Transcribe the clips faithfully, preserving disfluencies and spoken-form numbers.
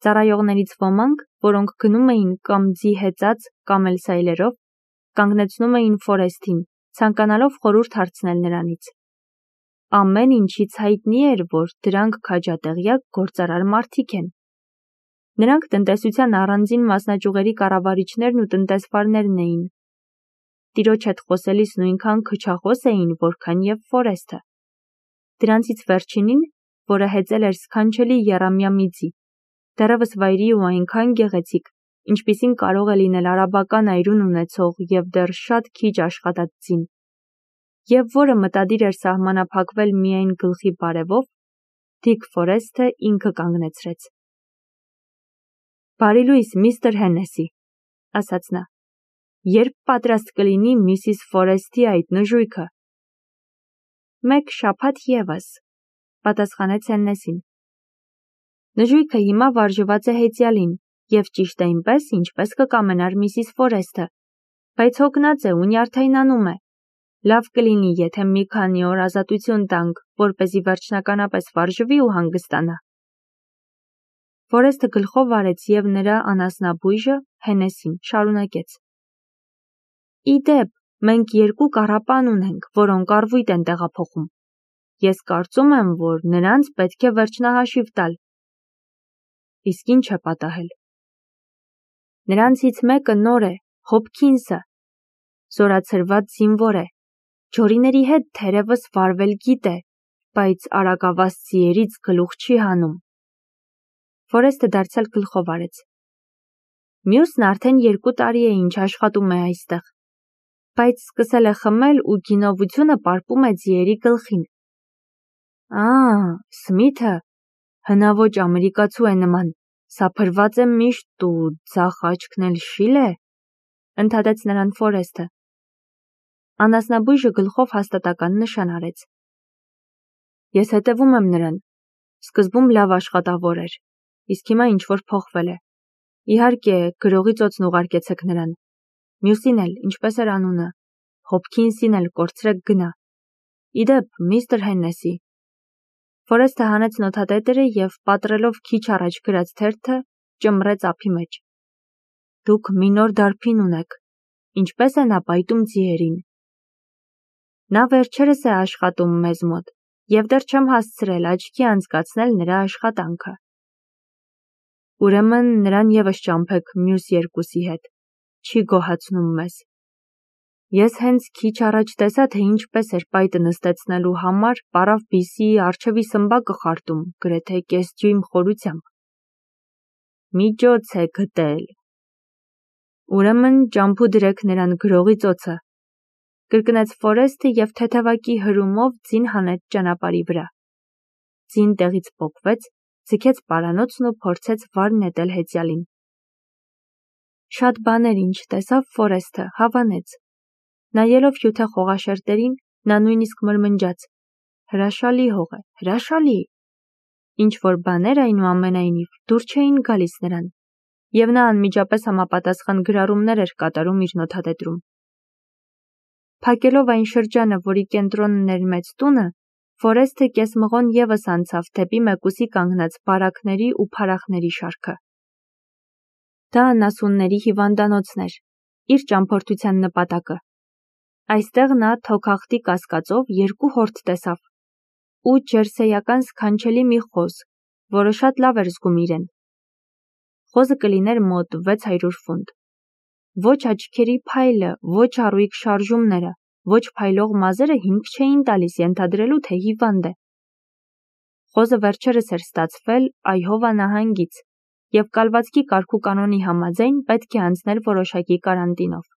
Ծառայողներից ոմանք, որոնք գնում էին կամ ձի հեծած կամ էլ սայլերով, կանգնեցնում էին Ֆորեսթին, ցանկանալով խորհուրդ հարցնել նրանից։ Ամեն ինչից հայտնի էր, որ դրանք քաջատեղյակ գործարար մարդիկ են։ Նրանք տնտեսության առանձին մասնաճյուղերի կառավարիչներն ու տնտեսվարներն էին։ Տիրոջ հետ խոսելիս նույնքան քչախոս էին, որքան և Ֆորեսթը։ Դրանցից վերջինին, որը հեծել էր սքանչելի եռամյա մի ձի, դեռևս վայրի ու այնքան գեղեցիկ, ինչպիսին կարող է լինել արաբական այրուն ունեցող և դեռ շատ քիչ աշխատած ձին, և որը մտադիր էր սահմանափակվել միայն գլխի բարևով, Դիկ Ֆորեսթը ինքը կանգնեցրեց։ «Բարի լույս, միստր Հեննեսի», ասաց նա, «երբ պատրաստ կլինի միսիս Ֆորեսթի այդ նժույգը»։ «Մեկ շաբաթ ևս», պատասխանեց Հեննեսին։ «Նժույգը հիմա վարժված է հեծյալին, և ճիշտ այնպես, ինչպես կկամենար միսիս Ֆորեսթը, բայց հոգնած է ու նյարդայնանում է։ Լավ կլինի, եթե մի քանի օր ազատություն տանք, որպեսզի վերջնականապես վարժվի ու հանգստանա»։ Ֆորեսթը գլխով արեց և նրա անասնաբույժը Հեննեսին շարունակեց. «Ի դեպ, մենք երկու կառապան ունենք, որոնք առվույտ են տեղափոխում։ Ես կարծում եմ, որ նրանց պետք է վերջնահաշիվ տալ»։ «Իսկ ինչ է պատահել»։ «Նրանցից մեկը նոր է, Հոփքինսը, զորացրված զինվոր է, ջորիների հետ թերևս վարվել գիտե, բայց արագավազ ձիերից գլուխ չի հանում»։ Ֆորեսթը դարձյալ գլխով արեց։ «Մյուսն արդեն երկու տարի է ինչ աշխատում է այստեղ, բայց սկսել է խմել ու գինովությունը պարպում է ձիերի գլխին»։ «Ա՜, Սմիթը, հնաոճ ամերիկացու է նման, սափրված է միշտ ու ձախ աչքն էլ շիլ է», ընդհատեց նրան Ֆորեսթը։ Անասնաբույժը գլխով հաստատական նշան արեց։ «Ես հետևում եմ նրան։ Սկզբում լավ աշխատավոր էր, իսկ հիմա ինչ-որ փոխվել է։ Իհարկե, գրողի ծոցն ուղարկեցեք նրան։ Մյուսին էլ, ինչպես էր անունը, Հոփքինսին էլ կորցրեք գնա։ Ի դեպ, միստր Հեննեսի»։ Ֆորեսթը հանեց նոթատետրը և պատռելով քիչ առաջ գրած թերթը, ճմռեց ափի մեջ։ «Դուք մի նոր դարբին ունեք, ինչպե՞ս է նա պայտում ձիերին»։ «Նա վերջերս է աշխատում մեզ մոտ, և դեռ չեմ հասցրել աչքի անցկացնել նրա աշխատանքը»։ «Ուրեմն նրան ևս ճամփեք մյուս երկուսի հետ, չի գոհացնում մեզ։ Ես հենց քիչ առաջ տեսա, թե ինչպես էր պայտը նստեցնելու համար պառավ բիսի առջևի սմբակը խարտում գրեթե կես դյույմ խորությամբ»։ «Միջոց է գտել»։ «Ուրեմն ճամփու դրեք նրան գրողի ծոցը», կրկնեց Ֆորեսթը և թեթևակի հրումով ձին հանեց ճանապարհի վրա։ Ձին տեղից պոկվեց, ձգեց պարանոցն ու փորձեց վար նետել հեծյալին։ Շատ բաներ ինչ տեսավ Ֆորեսթը, հավանեց։ Նայելով հյութե խողաշերտերին, նա նույնիսկ մրմնջաց. «Հրաշալի հող է, հրաշալի»։ Ինչ-որ բաներ, այնուամենայնիվ, դուր չէին գալիս նրան, և նա անմիջապես համապատասխան գրառումներ էր կատարում իր նոթատետրում։ Փակելով այն շրջանը, որի կենտրոնն էր մեծ տունը, Ֆորեսթը կեսմղոն ևս անցավ դեպի մեկուսի կանգնած բարակների ու փարախների շարքը։ Դա անասունների հիվանդանոցն էր, իր ճամփորդության նպատակը։ Այստեղ նա թոքախտի կասկածով երկու հորթ տեսավ ու ջերսեյական սքանչելի մի խոզ, որը շատ լավ էր զգում իրեն։ Խոզը կլիներ մոտ վեց հարյուր ֆունտ։ Ոչ աչքերի փայլը, ոչ առույգ շարժումները, ոչ փայլող մազերը հիմք չէին տալիս ենթադրելու, թե հիվանդ է։ Խոզը վերջերս էր ստացվել Այհովա նահանգից և կալվածքի կարգուկանոնի համաձայն պետք է անցներ որոշակի կարանտինով։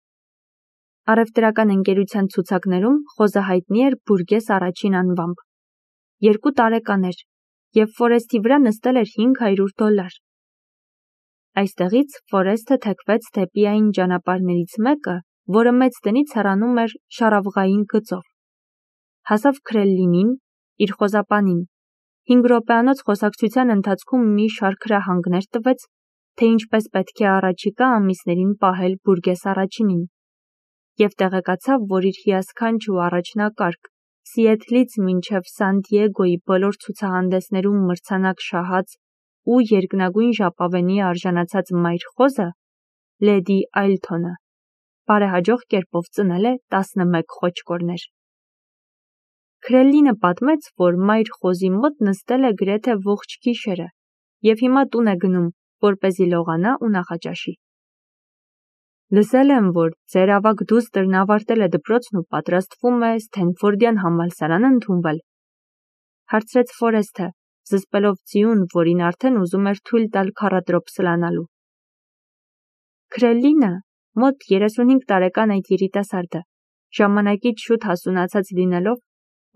Առևտրական ընկերության ցուցակներում խոզը հայտնի էր Բուրգես առաջին անվամբ։ Երկու տարեկան էր, և Ֆորեսթի վրա նստել էր հինգ հարյուր դոլար։ Այստեղից Ֆորեսթը թեքվեց դեպի այն ճանապարհներից մեկը, որը մեծ տնից հեռանում էր շառավղային գծով։ Հասավ Քրելլինին, իր խոզապանին։ Հինգ րոպեանոց խոսակցության ընթացքում մի շարք հրահանգներ տվեց, թե ինչպես պետք է առաջիկա ամիսներին պահել Բուրգես առաջինին, և տեղեկացավ, որ իր հիասքանչ ու առաջնակարգ, Սիեթլից մինչև Սան Դիեգոյի բոլոր ցուցահանդեսներում մրցանակ շահած ու երկնագույն ժապավենի արժանացած մայր խոզը, լեդի Այլթոնը, բարեհաջող կերպով ծնել է տասնմեկ խոճկորներ։ Քրելլինը պատմեց, որ մայր խոզի մոտ նստել է գրեթե ողջ գիշերը և հիմա տուն է գնում, որպեսզի լողանա ու նախաճաշի։ Լսել եմ, որ ձեր ավագ դուստրն ավարտել է դպրոցն ու պատրաստվում է Սթենֆորդյան համալսարան ընդունվել, հարցրեց Ֆորեսթը, զսպելով ձիուն, որին արդեն ուզում էր թույլ տալ քառադրոփ սլանալու։ Քրելլինը, մոտ երեսունհինգ տարեկան այդ երիտասարդը, ժամանակից շուտ հասունացած լինելով,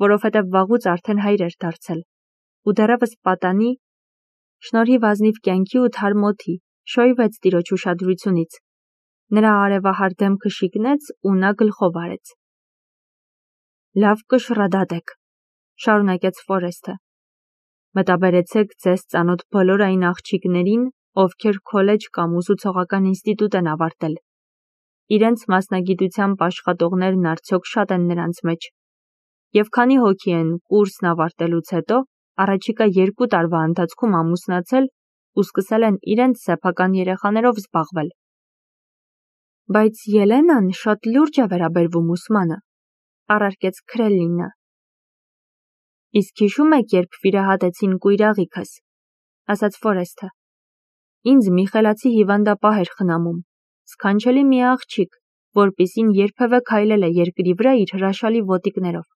որովհետև վաղուց արդեն հայր էր դարձել, ու դեռևս պատանի, շնորհիվ ազնիվ կյանքի ու թարմ օդի, շոյվեց տիրոջ ուշադրությունից։ Նրա արևահար դեմքը շիկնեց ու նա գլխով արեց։ Լավ կշռադատեք, շարունակեց Ֆորեսթը։ Մտաբերեցեք ձեզ ծանոթ բոլոր այն աղջիկներին, ովքեր քոլեջ կամ ուսուցողական ինստիտուտ են ավարտել։ Իրենց մասնագիտությամբ աշխատողներն արդյոք շատ են նրանց մեջ։ Եվ քանի հոգի են կուրսն ավարտելուց հետո առաջիկա երկու տարվա ընթացքում ամուսնացել ու սկսել են իրենց սեփական երեխաներով զբաղվել։ Բայց Ելենան շատ լուրջ է վերաբերվում ուսմանը, առարկեց Քրելլինը։ Իսկ հիշում եք, երբ վիրահատեցին կույրաղիքս, ասաց Ֆորեսթը։ Ինձ մի խելացի հիվանդապահ էր խնամում, սքանչելի մի աղջիկ, որպիսին երբևէ քայլել է երկրի վրա իր հրաշալի ոտիկներով։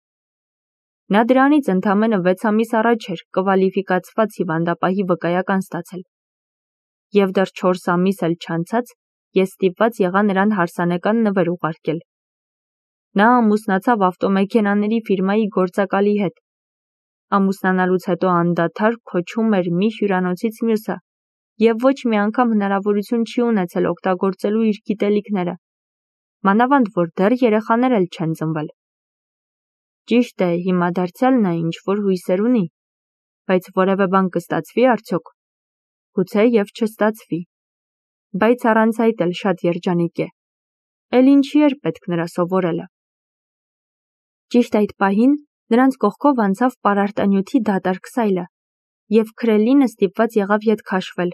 Նա դրանից ընդամենը վեց ամիս առաջ էր կվալիֆիկացված հիվանդապահի վկայական ստացել։ Եվ դեռ չորս ամիս էլ չանցած ես ստիպված եղա նրան հարսանեկան նվեր ուղարկել։ Նա ամուսնացավ ավտոմեքենաների ֆիրմայի գործակալի հետ։ Ամուսնանալուց հետո անդադար քոչում էր մի հյուրանոցից մյուսը և ոչ մի անգամ հնարավորություն չի ունեցել օգտագործելու իր գիտելիքները, մանավանդ որ դեռ երեխաներ էլ չեն ծնվել։ Ճիշտ է, հիմա դարձյալ նա ինչ-որ հույսեր ունի, բայց որևէ բան կստացվի արդյոք։ Գուցե և չստացվի, բայց առանց այդ էլ շատ երջանիկ է։ Էլ ինչի էր պետք նրա սովորելը։ Ճիշտ այդ պահին նրանց կողքով անցավ պարարտանյութի դատարկ սայլը, և Քրելլինը ստիպված եղավ ետ քաշվել,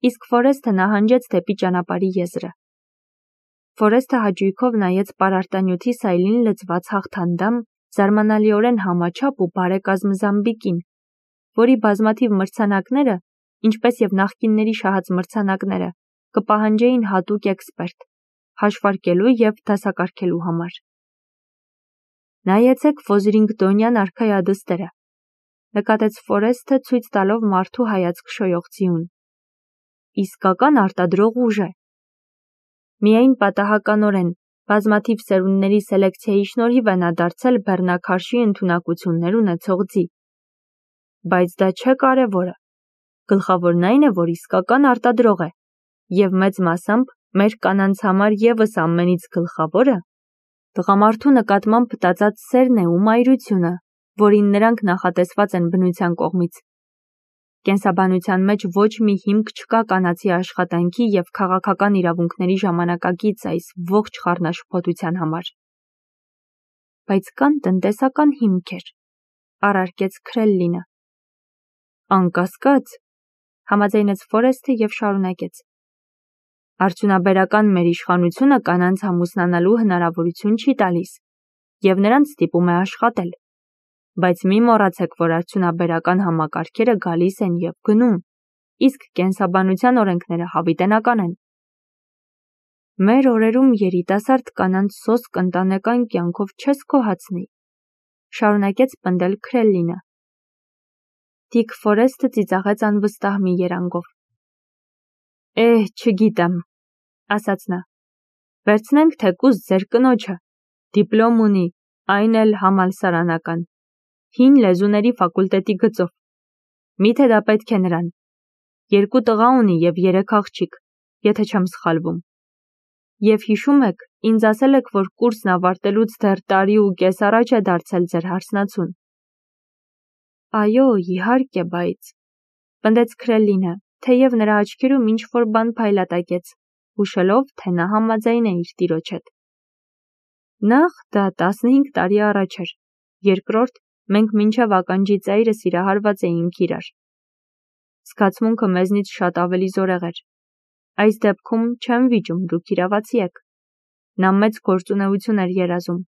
իսկ Ֆորեսթը նահանջեց դեպի ճանապարհի եզրը։ Ֆորեսթը հաճույքով նայեց պարարտանյութի սայլին լցված հաղթանդամ, զարմանալիորեն համաչափ ու բարեկազմ Զամբիկին, որի բազմաթիվ մրցանակները, ինչպես և նախկինների շահած մրցանակները, կպահանջեին հատուկ էքսպերտ, հաշվարկելու և դասակարգելու համար։ Նայեցեք Ֆոզրինգտոնյան արքայադստերը, նկատեց Ֆորեսթը ցույց տալով մարդու հայացք շոյող ձիուն։ Իսկական արտադրող ուժ է։ Միայն պատահականորեն բազմաթիվ սերունդների սելեկցիայի շնորհիվ է նա դարձել բեռնաքարշի ընդունակություններ ունեցող ձի։ Բայց դա չէ կարևորը։ Գլխավորն այն է, որ իսկական արտադրող է, և մեծ մասամբ մեր կանանց համար ևս ամենից գլխավորը տղամարդու նկատմամբ տածած սերն է ու մայրությունը, որին նրանք նախատեսված են բնության կողմից։ Կենսաբանության մեջ ոչ մի հիմք չկա կանացի աշխատանքի և քաղաքական իրավունքների ժամանակակից այս ողջ խառնաշփոթության համար։ Բայց կան տնտեսական հիմքեր, առարկեց Քրելլինը։ Անկասկած, համաձայնեց Ֆորեսթը և շարունակեց։ Արդյունաբերական մեր իշխանությունը կանանց ամուսնանալու հնարավորություն չի տալիս, և նրանց ստիպում է աշխատել։ Բայց մի մոռացեք, որ արդյունաբերական համակարգերը գալիս են և գնում, իսկ կենսաբանության օրենքները հավիտենական են։ Մեր օրերում երիտասարդ կանանց սոսկ ընտանեկան կյանքով չես գոհացնի, շարունակեց պնդել Քրելլինը։ Դիք Ֆորեսթը ծիծաղեց անվստահ մի երանգով։ Էհ, չգիտեմ, ասաց նա։ Վերցնենք թեկուզ ձեր կնոջը, դիպլոմ ունի, այն էլ համալսարանական, հին լեզուների ֆակուլտետի գծով։ Միթե դա պետք է նրան։ Երկու տղա ունի և երեք աղջիկ, եթե չեմ սխալվում։ Եվ հիշում եք, ինձ ասել եք, որ կուրսն ավարտելուց դեռ տարի ու կես առաջ է դարձել ձեր հարսնացուն։ Այո, իհարկե, բայց, պնդեց Քրելլինը, թեև նրա աչքերում ինչ-որ բան փայլատակեց, հուշելով, թե նա համաձայն է իր տիրոջ հետ։ Նախ դա տասնհինգ տարի առաջ էր, երկրորդ մենք մինչև ականջի ծայրը սիրահարված էինք իրար։ Զգացմունքը մեզնից շատ ավելի զորեղ էր։ Այս դեպքում չեմ վիճում, դուք իրավացի եք։ Նա մեծ գործունեություն էր երազում։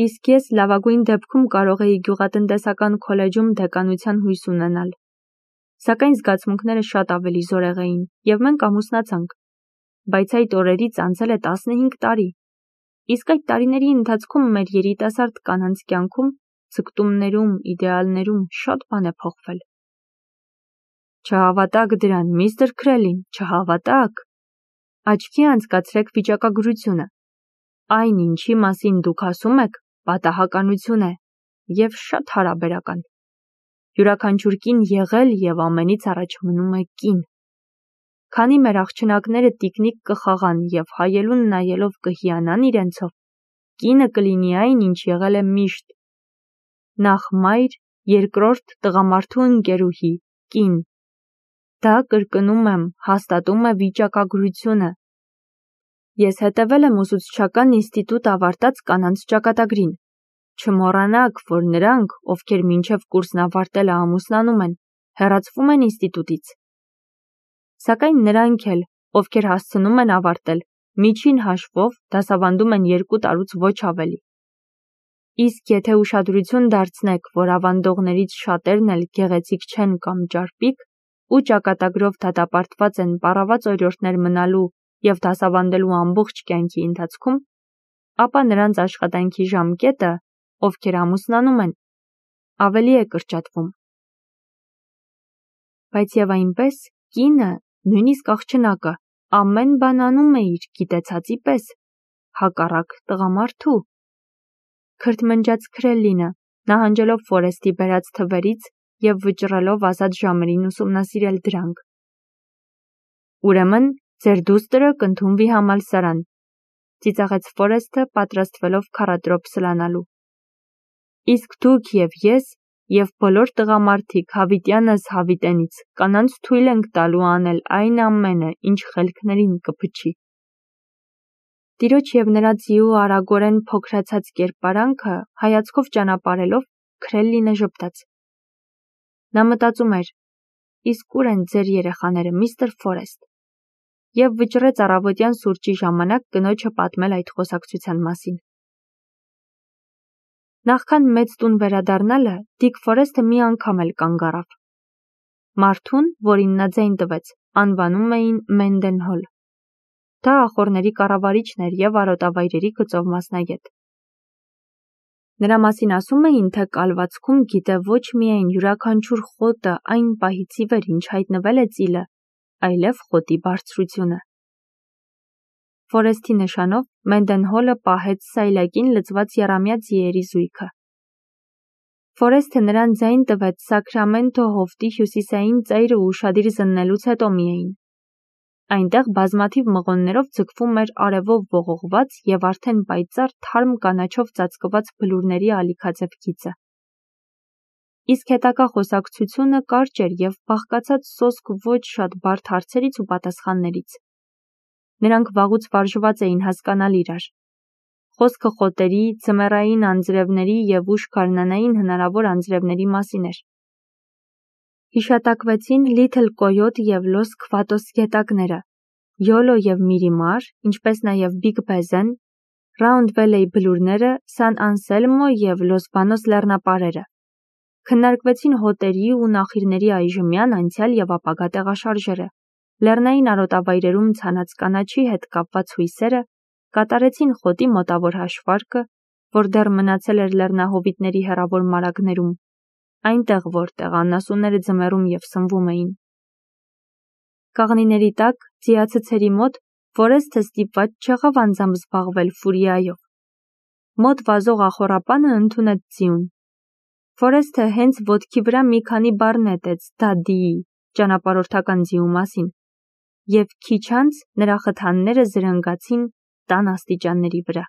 Իսկ ես լավագույն դեպքում կարող էի գյուղատնտեսական քոլեջում դեկանության հույս ունենալ։ Սակայն զգացմունքները շատ ավելի զորեղ էին, և մենք ամուսնացանք։ Բայց այդ օրերից անցել է տասնհինգ տարի։ Իսկ այդ տարիների ընթացքում մեր երիտասարդ կանանց կյանքում, ձգտումներում, իդեալներում շատ բան է փոխվել։ Չհավատաք դրան, միստր Քրելին, չհավատաք։ Աչքի անցկացրեք վիճակագրությունը։ Այն, ինչի մասին դուք ասում եք, պատահականություն է և շատ հարաբերական։ Յուրաքանչյուր կին եղել և ամենից առաջ մնում է կին։ Քանի մեր աղջնակները տիկնիկ կխաղան և հայելուն նայելով կհիանան իրենցով, կինը կլինի այն, ինչ եղել է միշտ։ Նախ մայր, երկրորդ տղամարդու ընկերուհի, կին։ Դա, կրկնում եմ, հաստատում է վիճակագրությունը։ Ես հետևել եմ ուսուցչական ինստիտուտ ավարտած կանանց ճակատագրին։ Չմոռանաք, որ նրանք, ովքեր մինչև կուրսն ավարտելը ամուսնանում են, հեռացվում են ինստիտուտից։ Սակայն նրանք էլ, ովքեր հասցնում են ավարտել, միջին հաշվով դասավանդում են երկու տարուց ոչ ավելի։ Իսկ եթե ուշադրություն դարձնեք, որ ավանդողներից շատերն էլ գեղեցիկ չեն կամ ճարպիկ, ու ճակատագրով դատապարտված են պառաված օրիորդներ մնալու և դասավանդելու ամբողջ կյանքի ընթացքում, ապա նրանց աշխատանքի ժամկետը, ովքեր ամուսնանում են, ավելի է կրճատվում։ Բայց և այնպես, կինը, նույնիսկ աղջնակը, ամեն բան անում է իր գիտեցածի պես, հակառակ տղամարդու։ Քրթմնջաց Քրելինը, նահանջելով Ֆորեսթի բերած թվերից և վճռելով ազատ ժամերին ուսումնասիրել դրանք։ Ուրեմն, ձեր դուստրը կընդունվի համալսարան, ծիծաղեց Ֆորեսթը, պատրաստվելով քառադրոփ սլանալու։ Իսկ դուք և ես, և բոլոր տղամարդիկ հավիտյանս հավիտենից կանանց թույլ ենք տալու անել այն ամենը, ինչ խելքներին կփչի։ Տիրոջ և նրա ձիու արագորեն փոքրացած կերպարանքը հայացքով ճանապարհելով, Քրելինը ժպտաց։ Նա մտածում էր. իսկ ուր են ձեր երեխաները, միստր Ֆորեսթ, և վճռեց առավոտյան սուրճի ժամանակ կնոջը պատմել այդ խոսակցության մասին։ Նախքան մեծ տուն վերադառնալը, Դիկ Ֆորեսթը մի անգամ էլ կանգ առավ։ Մարդուն, որին նա ձայն տվեց, անվանում էին Մենդենհոլ։ Դա ախոռների կառավարիչն էր և արոտավայրերի գծով մասնագետ։ Նրա մասին ասում էին, թե կալվածքում գիտե ոչ միայն յուրաքանչյուր խոտը այն պահից ի վեր, ինչ հայտնվել է ծիլը, այլև խոտի բարձրությունը։ Ֆորեսթի նշանով Մենդենհոլը պահեց սայլակին լցված եռամյա ձիերի զույգը։ Ֆորեսթը նրան ձայն տվեց Սաքրամենթո հովտի հյուսիսային ծայրը ուշադիր զննելուց հետո միայն։ Այնտեղ բազմաթիվ մղոններով ձգվում էր արևով ողողված և արդեն պայծառ թարմ կանաչով ծածկված բլուրների ալիքաձև գիծը։ Իսկ հետագա խոսակցությունը կարճ էր և բաղկացած սոսկ ոչ շատ բարդ հարցերից ու պատասխաններից։ Նրանք վաղուց վարժված էին հասկանալ իրար։ Խոսքը խոտերի, ձմեռային անձրևների և ուշ գարնանային հնարավոր անձրևների մասին էր։ Հիշատակվեցին Լիթլ Կոյոտ և Լոս Քվատոս գետակները, Յոլո և Միրիմար, ինչպես նաև Բիգ Բեզեն, Ռաունդ Վելեյ բլուրները, Սան Անսելմո և Լոս Բանոս լեռնապարերը։ Քննարկվեցին հոտերի ու նախիրների այժմյան, անցյալ և ապագա տեղաշարժերը, լեռնային արոտավայրերում ցանած կանաչի հետ կապված հույսերը, կատարեցին խոտի մոտավոր հաշվարկը, որ դեռ մնացել էր լեռնահովիտների հեռավոր մարագներում, այնտեղ, որտեղ անասունները ձմեռում և սնվում էին։ Կաղնիների տակ, ձիացցերի մոտ, Ֆորեսթը ստիպված չեղավ անձամբ զբաղվել ֆուրիայով։ Մոտ վազող ախոռապանը ընդունեց ձիուն։ Ֆորեսթը հենց ոտքի վրա մի քանի բառ նետեց Դադիի ճանապարհորդական ձիու մասին, և քիչ անց նրա խթանները զրնգացին տան աստիճանների վրա։